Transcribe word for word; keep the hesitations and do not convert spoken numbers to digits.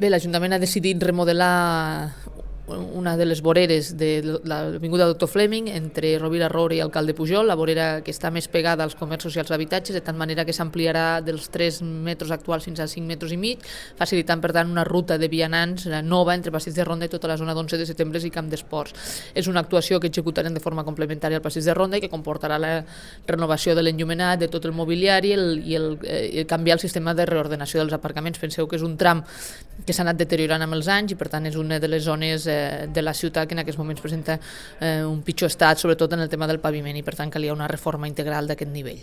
Bé, l'Ajuntament ha decidit remodelar una de les voreres de l'avinguda Doctor Fleming entre Rovira Roure i Alcalde Pujol, la vorera que està més pegada als comerços i als habitatges, de tant manera que s'ampliarà dels tres metres actuals fins a cinc metres i mig, facilitant per tant una ruta de vianants nova entre Passeig de Ronda i tota la zona d'onze de setembre i Camp d'Esports. És una actuació que executarem de forma complementària al Passeig de Ronda i que comportarà la renovació de l'enllumenat, de tot el mobiliari el, i el, eh, canviar el sistema de reordenació dels aparcaments. Penseu que és un tram que s'ha anat deteriorant amb els anys i per tant és una de les zones eh, de la ciutat que en aquests moments presenta eh, un pitjor estat, sobretot en el tema del paviment, i per tant calia una reforma integral d'aquest nivell.